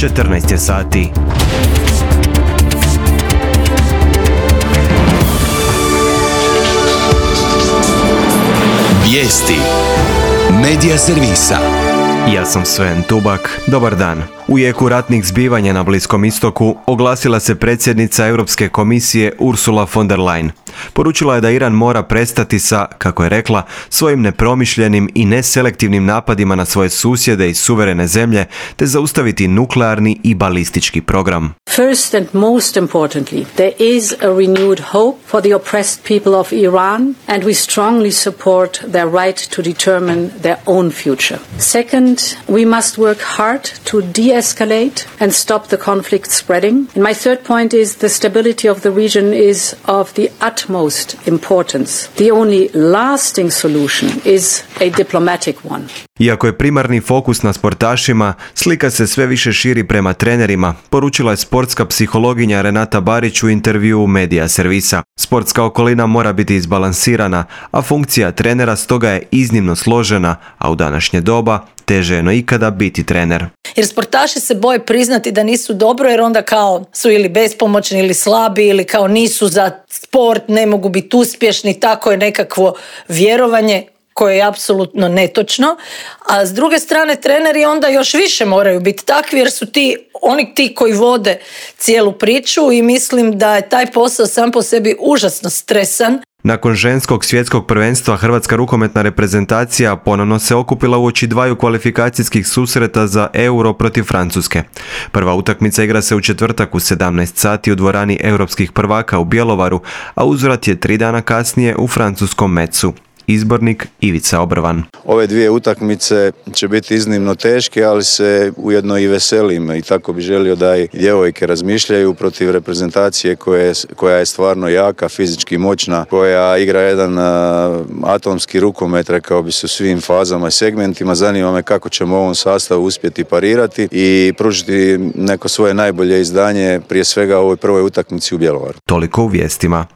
14 je sati. Vijesti Medija servisa. Ja sam Sven Tubak. Dobar dan. U jeku ratnih zbivanja na Bliskom istoku oglasila se predsjednica Europske komisije Ursula von der Leyen. Poručila je da Iran mora prestati sa, kako je rekla, svojim nepromišljenim i neselektivnim napadima na svoje susjede i suverene zemlje, te zaustaviti nuklearni i balistički program. First and most importantly, there is a renewed hope for the oppressed people of Iran, and we strongly support their right to determine their own future. Second, we must work hard to de-escalate and stop the conflict spreading. And my third point is the stability of the region is of the utmost importance. The only lasting solution is a diplomatic one. Iako je primarni fokus na sportašima, slika se sve više širi prema trenerima, poručila je sportska psihologinja Renata Barić u intervjuu Medija servisa. Sportska okolina mora biti izbalansirana, a funkcija trenera stoga je iznimno složena, a u današnje doba teže je no ikada biti trener. Jer sportaši se boje priznati da nisu dobro, jer onda kao su ili bespomoćni ili slabi ili kao nisu za sport, ne mogu biti uspješni, tako je nekakvo vjerovanje koje je apsolutno netočno, a s druge strane treneri onda još više moraju biti takvi jer su oni ti koji vode cijelu priču i mislim da je taj posao sam po sebi užasno stresan. Nakon ženskog svjetskog prvenstva Hrvatska rukometna reprezentacija ponovno se okupila uoči dvaju kvalifikacijskih susreta za Euro protiv Francuske. Prva utakmica igra se u četvrtak u 17 sati u dvorani europskih prvaka u Bjelovaru, a uzvrat je 3 dana kasnije u francuskom Metzu. Izbornik Ivica Obrvan. Ove dvije utakmice će biti iznimno teške, ali se ujedno i veselim i tako bi želio da i djevojke razmišljaju protiv reprezentacije koja je stvarno jaka, fizički moćna, koja igra jedan atomski rukomet, rekao bi se, u svim fazama i segmentima. Zanima me kako ćemo u ovom sastavu uspjeti parirati i pružiti neko svoje najbolje izdanje, prije svega u ovoj prvoj utakmici u Bjelovaru. Toliko u vijestima.